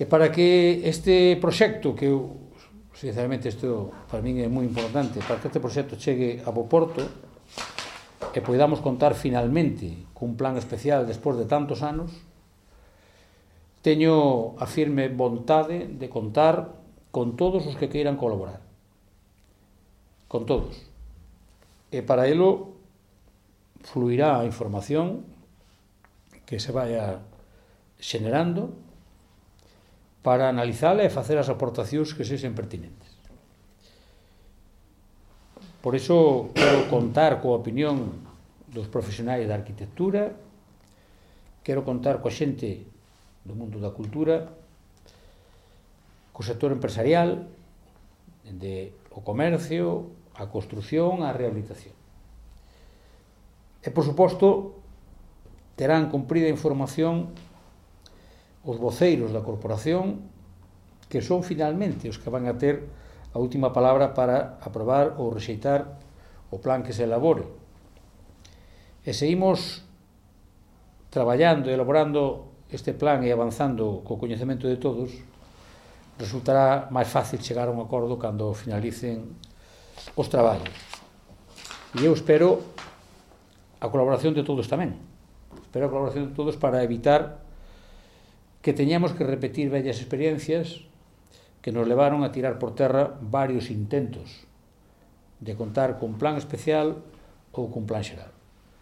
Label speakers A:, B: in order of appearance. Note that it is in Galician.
A: E para que este proxecto, que eu, sinceramente, isto para min é moi importante, para que este proxecto chegue a bo porto e poidamos contar finalmente cun plan especial despois de tantos anos, teño a firme vontade de contar con todos os que queiran colaborar. Con todos. E para elo fluirá a información que se vaya xenerando para analizala e facer as aportacións que sexen pertinentes. Por iso quero contar coa opinión dos profesionais da arquitectura, quero contar coa xente do mundo da cultura, co sector empresarial, de o comercio, a construción, a rehabilitación. E, por suposto, terán cumprida información os voceiros da corporación, que son finalmente os que van a ter a última palabra para aprobar ou rexeitar o plan que se elabore. E seguimos traballando e elaborando este plan e avanzando co coñecemento de todos, resultará máis fácil chegar a un acordo cando finalicen os traballos. E eu espero a colaboración de todos tamén. Espero a colaboración de todos para evitar que teñamos que repetir vellas experiencias que nos levaron a tirar por terra varios intentos de contar cun plan especial ou cun plan xeral.